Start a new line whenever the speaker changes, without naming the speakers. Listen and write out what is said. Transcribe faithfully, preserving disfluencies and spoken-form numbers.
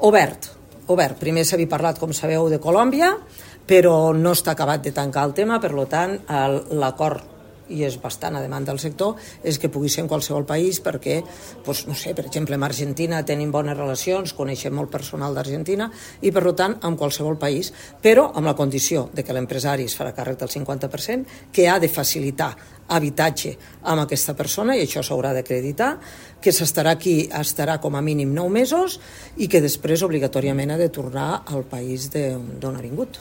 Obert, obert. Primer s'havia parlat, com sabeu, de Colòmbia, però no està acabat de tancar el tema, per tant, l'acord, i és bastant a demanda del sector, és que pugui ser en qualsevol país perquè, doncs, no sé, per exemple, amb Argentina tenim bones relacions, coneixem molt personal d'Argentina i, per tant, amb qualsevol país, però amb la condició de que l'empresari es farà càrrec del cinquanta per cent, que ha de facilitar habitatge amb aquesta persona, i això s'haurà d'acreditar, que s'estarà aquí, estarà com a mínim nou mesos i que després obligatòriament ha de tornar al país d'on ha vingut.